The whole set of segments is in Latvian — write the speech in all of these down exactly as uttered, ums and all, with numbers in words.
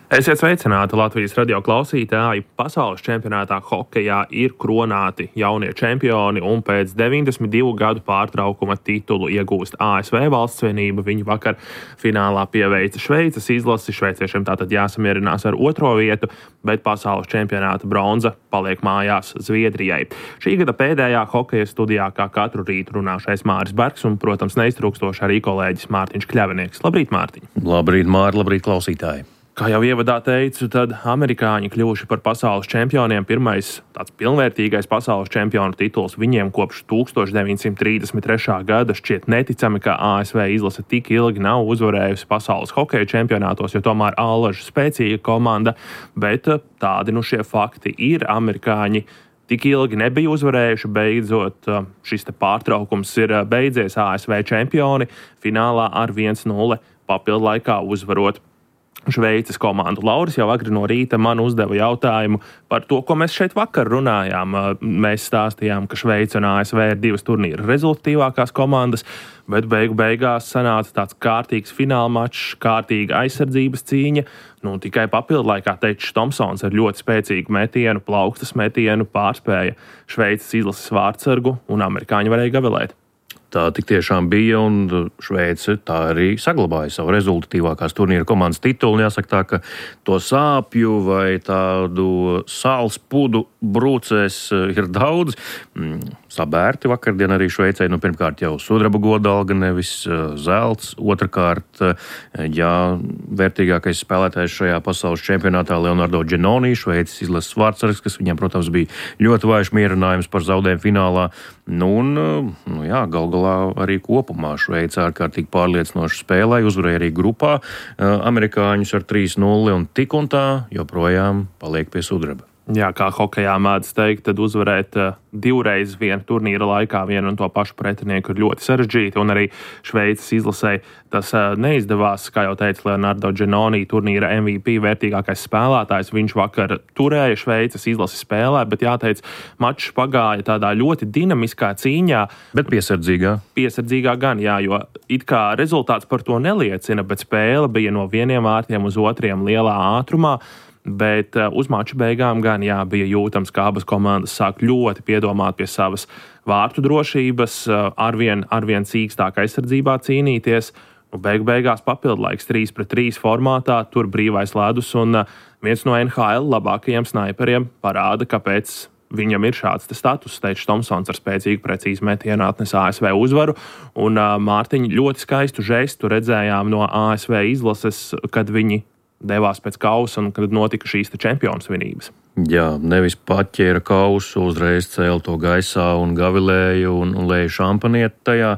Esiet sveicināti Latvijas radio klausītāji. Pasaules čempionātā hokejā ir kronāti jaunie čempioni un pēc deviņdesmit divu gadu pārtraukuma titulu iegūst A S V valstsvienība. Viņi vakar finālā pieveica Šveices izlasi. Šveiciešiem tātad jāsamierinās ar otro vietu, bet pasaules čempionāta bronza paliek mājās Zviedrijai. Šī gada pēdējā hokeja studijā kā katru rītu runāšais Māris Bergs un, protams, neiztrūkstoši arī kolēģis Mārtiņš Kļavinieks. Labrīt, Mārtiņ! Labrīt, Māri, labrīt, klausītāji! Kā jau ievadā teicu, tad amerikāņi kļuvuši par pasaules čempioniem. Pirmais tāds pilnvērtīgais pasaules čempionu tituls viņiem kopš tūkstoš deviņi simti trīsdesmit trešā gada. Šķiet neticami, ka A S V izlase tik ilgi nav uzvarējusi pasaules hokeja čempionātos, jo tomēr allaža spēcīga komanda, bet tādi nu šie fakti ir. Amerikāņi tik ilgi nebija uzvarējuši, beidzot šis te pārtraukums ir beidzies. A S V čempioni finālā ar viens nulle papildu laikā uzvarot Šveices komandu. Lauris jau agri no rīta man uzdeva jautājumu par to, ko mēs šeit vakar runājām. Mēs stāstījām, ka Šveice un A S V ir divas turnīra rezultatīvākās komandas, bet beigu beigās sanāca tāds kārtīgs fināla mačs, kārtīga aizsardzības cīņa. Nu, tikai papildu laikā Teičs Tomsons ar ļoti spēcīgu metienu, plaukstas metienu pārspēja Šveices izlases vārtsargu un amerikāņi varēja gavilēt. Tā tik tiešām bija, un Šveice tā arī saglabāja savu rezultatīvākās turnīra komandas titulu. Jāsaka tā, ka to sāpju vai tādu sāls pudu brūcēs ir daudz. Sabērti vakardien arī Šveicei, nu pirmkārt jau sudraba godalga, nevis zelts. Otrakārt, jā, vērtīgākais spēlētājs šajā pasaules čempionātā Leonardo Giannoni, Šveices izlases vārtsargs, kas viņam, protams, bija ļoti vājš mierinājums par zaudējumu finālā. Nu, un, nu jā, gal galā arī kopumā Šveice ārkārtīgi pārliecinoši spēlēja, uzvarēja arī grupā amerikāņus ar trīs nulle un tik un tā joprojām paliek pie sudraba. Jā, kā hokejā mēdz teikt, tad uzvarēt divreiz vienu turnīra laikā vienu un to pašu pretinieku ir ļoti sarežģīti, un arī Šveices izlasē tas neizdevās. Kā jau teica Leonardo Giannoni, turnīra M V P vērtīgākais spēlētājs, viņš vakar turēja Šveices izlasi spēlē, bet jāteic, mačs pagāja tādā ļoti dinamiskā cīņā. Bet piesardzīgā. Piesardzīgā gan, jā, jo it kā rezultāts par to neliecina, bet spēle bija no vieniem vārtiem uz otriem lielā ātrumā. Bet uz mača beigām gan jā, bija jūtams, ka abas komandas sāk ļoti piedomāt pie savas vārtu drošības, arvien, arvien cīkstāk aizsardzībā cīnīties. Nu, beigu beigās papildlaiks trīs pret trīs formātā, tur brīvais ledus, un viens no N H L labākajiem snaiperiem parāda, kāpēc viņam ir šāds status. Teičs Tomsons ar spēcīgu precīzu metienu atnes A S V uzvaru, un Mārtiņa ļoti skaistu žestu redzējām no A S V izlases, kad viņi devās pēc kausa un kad notika šīs te čempionu svinības. Jā, nevis paķēra kausu, uzreiz cēla to gaisā un gavilēja un, un lēja šampanieti tajā,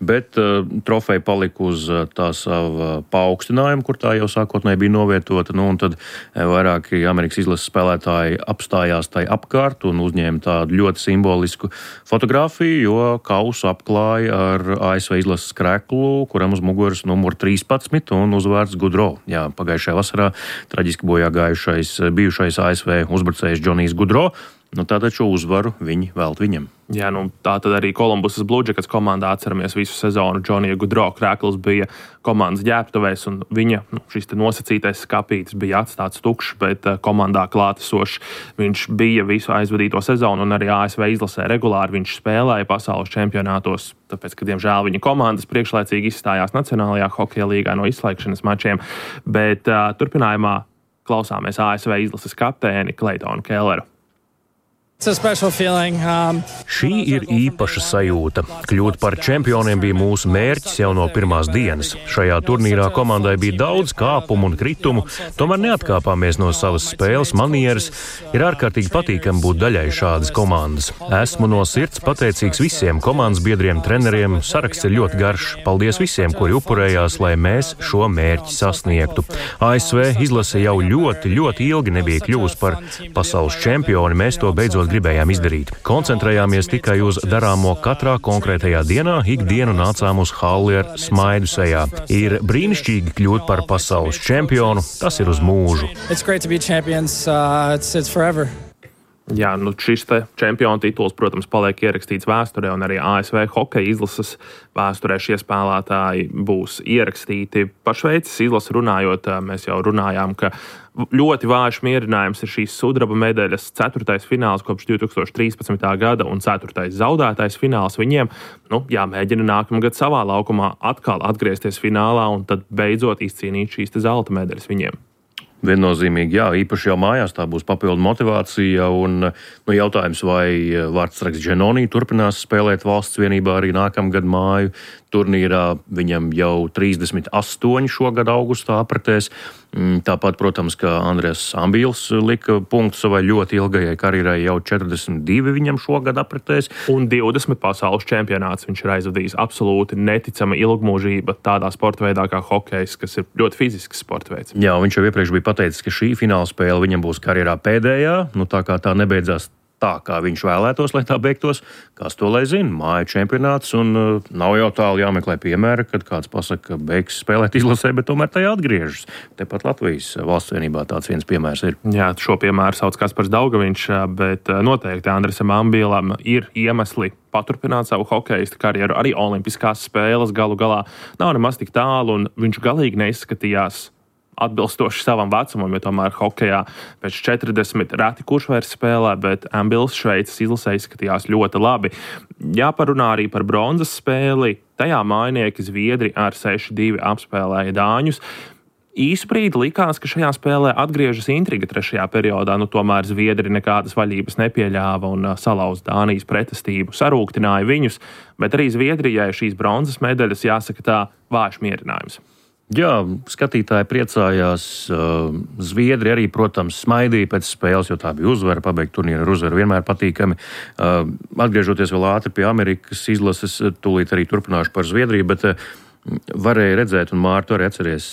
bet uh, trofeja palika uz uh, tā sava paaugstinājuma, kur tā jau sākotnēji bija novietota, nu un tad vairāki Amerikas izlases spēlētāji apstājās tai apkārt un uzņēma tādu ļoti simbolisku fotografiju, jo kausu apklāja ar A S V izlases kreklu, kuram uz muguras numur trīspadsmit un uzvārds Gaudreau. Jā, pagājušajā vasarā traģiski bojā gājušais bijušais A S V uzbrucējs Džonijs Gaudreau. Nu, tātad šo uzvaru viņi vēlt viņam. Jā, nu tā tad arī Kolumbusas Blue Jackets komandā atceramies visu sezonu. Džonija Gaudreau krēkls bija komandas ģērbtuvēs, un viņa nu, šis te nosacītais skapītis bija atstāts tukšs, bet komandā klātesošs. Viņš bija visu aizvadīto sezonu, un arī A S V izlasē regulāri viņš spēlēja pasaules čempionātos, tāpēc, ka, diemžēl, viņa komandas priekšlaicīgi izstājās Nacionālajā hokeja līgā no izslēgšanas mačiem, bet uh, turpinājumā klausāmies A S V izlases kapteini Claytonu Kelleru. Um, Šī ir īpaša sajūta. Kļūt par čempioniem bija mūsu mērķis jau no pirmās dienas. Šajā turnīrā komandai bija daudz kāpumu un kritumu, tomēr neatkāpāmies no savas spēles manieres. Ir ārkārtīgi patīkami būt daļai šādas komandas. Esmu no sirds pateicīgs visiem komandas biedriem, treneriem. Saraksts ir ļoti garš. Paldies visiem, kuri upurējās, lai mēs šo mērķi sasniegtu. A S V izlase jau ļoti, ļoti ilgi nebija kļuvusi par pasaules čempioni. Mēs to beidzot gribējām izdarīt. Koncentrējāmies tikai uz darāmo katrā konkrētajā dienā, ikdienu nācām uz halli ar smaidu sejā. Ir brīnišķīgi kļūt par pasaules čempionu, tas ir uz mūžu. It's great to be champions. Uh, it's, it's forever. Jā, nu šis te čempionu tituls, protams, paliek ierakstīts vēsturē, un arī A S V hokeja izlases vēsturē šie spēlētāji būs ierakstīti. Par Šveices izlasi runājot, mēs jau runājām, ka ļoti vājš mierinājums ir šīs sudraba medaļas ceturtais fināls kopš divi tūkstoši trīspadsmitā gada un ceturtais zaudētais fināls viņiem. Nu, jāmēģina nākamgad savā laukumā atkal atgriezties finālā un tad beidzot izcīnīt šīs te zelta medaļas viņiem. Viennozīmīgi, jā, īpaši jau mājās tā būs papildu motivācija, un nu, jautājums, vai vārdsargs Dženonī turpinās spēlēt valsts vienībā arī nākamgad māju turnīrā. Viņam jau trīsdesmit astoņi šogad augustā apritēs. Tāpat, protams, ka Andrēs Ambīls lika punktu savai ļoti ilgajai karjerai, jau četrdesmit divi viņam šogad apritēs. Un divdesmit pasaules čempionāts viņš ir aizvadījis. Absolūti neticama ilgmūžība tādā sporta veidā kā hokejs, kas ir ļoti fizisks sporta veids. Jā, viņš jau iepriekš bija pateicis, ka šī fināla spēle viņam būs karjerā pēdējā. Nu, tā kā tā nebeidzās tā, kā viņš vēlētos, lai tā beigtos, kas to lai zina, māja čempionāts, un uh, nav jau tālu jāmeklē piemēra, kad kāds pasaka, ka beigs spēlēt izlasē, bet tomēr tajā atgriežas. Tepat Latvijas valsts vienībā tāds viens piemērs ir. Jā, šo piemēru sauc Kaspars Daugaviņš, bet noteikti Andresam Ambīlam ir iemesli paturpināt savu hokejistu karjeru. Arī olimpiskās spēles galu galā nav nemaz tik tālu, un viņš galīgi neizskatījās atbilstoši savam vecumam, jo tomēr hokejā pēc četrdesmit reti kurš vairs spēlē, bet Ambils Šveices izlasē izskatījās ļoti labi. Jāparunā arī par bronzas spēli. Tajā mājnieki Zviedri ar seši divi apspēlēja dāņus. Īsu brīdi likās, ka šajā spēlē atgriežas intriga trešajā periodā, nu tomēr Zviedri nekādas vaļības nepieļāva un salauz Dānijas pretestību, sarūktināja viņus, bet arī Zviedrijai šīs bronzas medaļas, jāsaka tā, vājš mierinājums. Jā, skatītāji priecājās. Zviedri arī, protams, smaidīja pēc spēles, jo tā bija uzvara, pabeigt turnīru ar uzvaru vienmēr patīkami. Atgriežoties vēl ātri pie Amerikas izlases, tūlīt arī turpināšu par Zviedriju, bet varēja redzēt, un Mārtu arī atceries,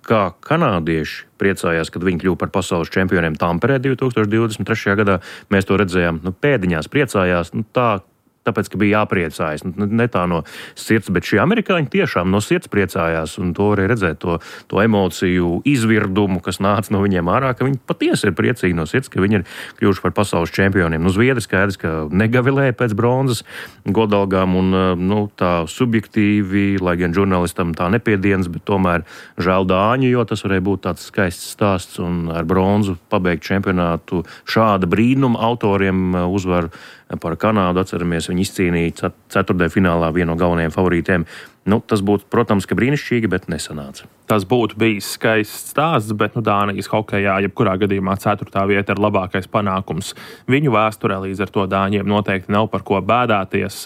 kā kanādieši priecājās, kad viņi kļuva par pasaules čempioniem Tamperē divi tūkstoši divdesmit trešajā gadā. Mēs to redzējām, nu, pēdiņās priecājās, nu, tā, tāpēc, ka bija jāpriecājas. Ne tā no sirds, bet šie amerikāņi tiešām no sirds priecājās, un to varēja redzēt, to, to emociju izvirdumu, kas nāca no viņiem ārā, ka viņi patiesi ir priecīgi no sirds, ka viņi ir kļuvuši par pasaules čempioniem. Nu, Zviedri skaidrs, ka negavilēja pēc bronzas godalgām, un nu, tā subjektīvi, lai gan žurnālistam tā nepiedienas, bet tomēr žēl dāņu, jo tas varēja būt tāds skaists stāsts, un ar bronzu pabeigt čempionātu šāda brīnuma autoriem uzvaru par Kanādu. Atceramies, viņi izcīnīja ceturtajā finālā vienu no galvenajiem favorītiem. Nu, tas būtu, protams, ka brīnišķīgi, bet nesanāca. Tas būtu bijis skaists stāsts, bet nu, Dānijas hokejā jebkurā gadījumā ceturtā vieta ir labākais panākums. Viņu vēsturē līdz ar to dāņiem noteikti nav par ko bēdāties.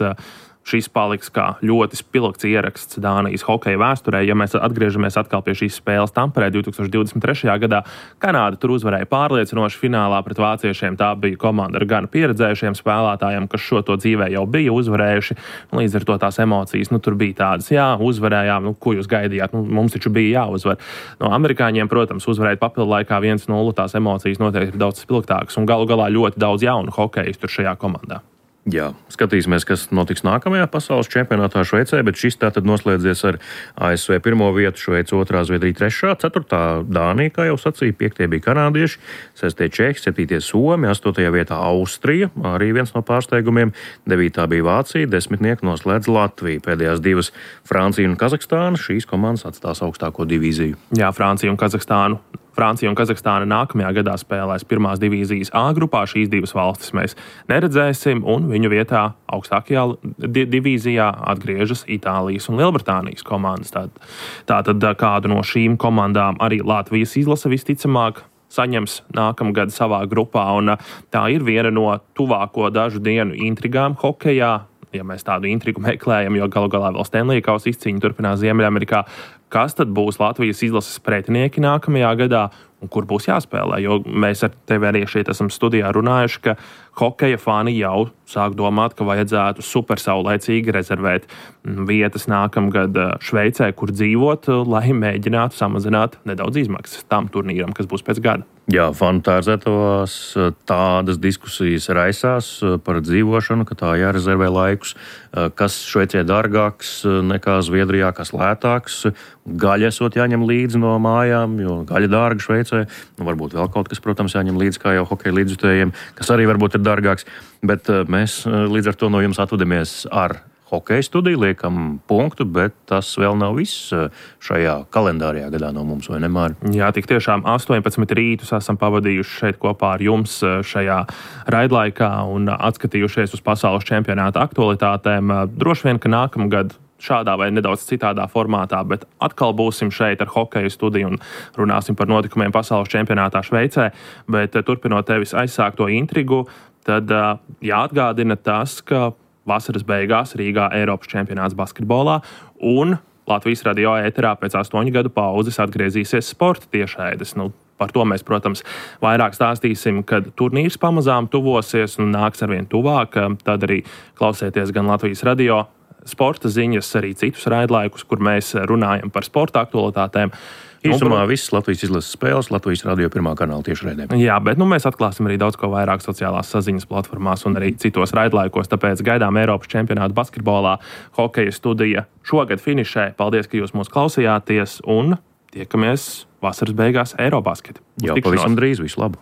Šis paliks kā ļoti spilgts ieraksts Dānijas hokeja vēsturē. Ja mēs atgriežamies atkal pie šīs spēles Tamperē divi tūkstoši divdesmit trešajā gadā, Kanāda tur uzvarēja pārliecinoši finālā pret vāciešiem. Tā bija komanda ar gan pieredzējušiem spēlētājiem, kas šo to dzīvē jau bija uzvarējuši. Līdz ar to tās emocijas, nu, tur bija tādas, jā, uzvarējām, nu, ko jūs gaidījāt, nu, mums taču bija jāuzvar. No amerikāņiem, protams, uzvarēt papildu laikā viens nulle, tās emocijas noteikti ir daudz spilgtākas, un galu galā ļoti daudz jaunu hokejistu tur šajā komandā. Jā, skatīsimies, kas notiks nākamajā pasaules čempionātā Šveicē, bet šis tātad noslēdzies ar A S V pirmo vietu, Šveice otrā, Zviedrija trešā, ceturtā Dānija, kā jau sacīja, piektie bija kanādieši, sestie Čehi, septītie Somi, astotajā vietā Austrija, arī viens no pārsteigumiem, devītā bija Vācija, desmitnieku noslēdz Latvija, pēdējās divas Francija un Kazahstāna, šīs komandas atstās augstāko divīziju. Jā, Francija un Kazahstānu. Francija un Kazahstāna nākamajā gadā spēlēs pirmās divīzijas A grupā. Šīs divas valstis mēs neredzēsim, un viņu vietā augstākajā di- divīzijā atgriežas Itālijas un Lielbritānijas komandas. Tātad kādu no šīm komandām arī Latvijas izlase visticamāk saņems nākamgad savā grupā, un tā ir viena no tuvāko dažu dienu intrigām hokejā. Ja mēs tādu intrigu meklējam, jo galu galā vēl Stanley kausa izcīņa turpinās Ziemeļamerikā, kas tad būs Latvijas izlases pretinieki nākamajā gadā un kur būs jāspēlē? Jo mēs ar tevi arī šeit esam studijā runājuši, ka hokeja fani jau sāk domāt, ka vajadzētu super saulēcīgi rezervēt vietas nākamgad Šveicē, kur dzīvot, lai mēģinātu samazināt nedaudz izmaksas tam turnīram, kas būs pēc gada. Jā, fanu tērzētavās tādas diskusijas raisās par dzīvošanu, ka tā jārezervē laikus, kas Šveicē dārgāks nekā Zviedrijā, kas lētāks. Gaļa esot jāņem līdzi no mājām, jo gaļa dārga Šveicē. jāaprecē. Nu, varbūt vēl kaut kas, protams, jāņem līdzi, kā jau hokeja līdzjutējiem, kas arī varbūt ir dārgāks. Bet mēs līdz ar to no jums atvadamies ar hokeja studiju, liekam punktu, bet tas vēl nav viss šajā kalendārajā gadā no mums, vai ne, Māri? Jā, tik tiešām astoņpadsmit rītus esam pavadījuši šeit kopā ar jums šajā raidlaikā un atskatījušies uz pasaules čempionāta aktualitātēm. Droši vien, ka nākamgad šādā vai nedaudz citādā formātā, bet atkal būsim šeit ar hokeja studiju un runāsim par notikumiem pasaules čempionātā Šveicē. Bet turpinot tevis aizsākto intrigu, tad jāatgādina tas, ka vasaras beigās Rīgā Eiropas čempionāts basketbolā un Latvijas radio ēterā pēc astoņu gadu pauzes atgriezīsies sporta tiešraides. Nu, par to mēs, protams, vairāk stāstīsim, kad turnīrs pamazām tuvosies un nāks arvien tuvāk. Tad arī klausieties gan Latvijas radio sporta ziņas, arī citus raidlaikus, kur mēs runājam par sporta aktualitātēm. Īsumā visas Latvijas izlases spēles Latvijas radio pirmā kanāla tiešraidē. Jā, bet nu, mēs atklāsim arī daudz ko vairāk sociālās saziņas platformās un arī citos raidlaikos, tāpēc gaidām Eiropas čempionātu basketbolā hokeja studija šogad finišē. Paldies, ka jūs mūs klausījāties un tiekamies vasaras beigās Eirobasket. Jau pavisam drīz, visu labu!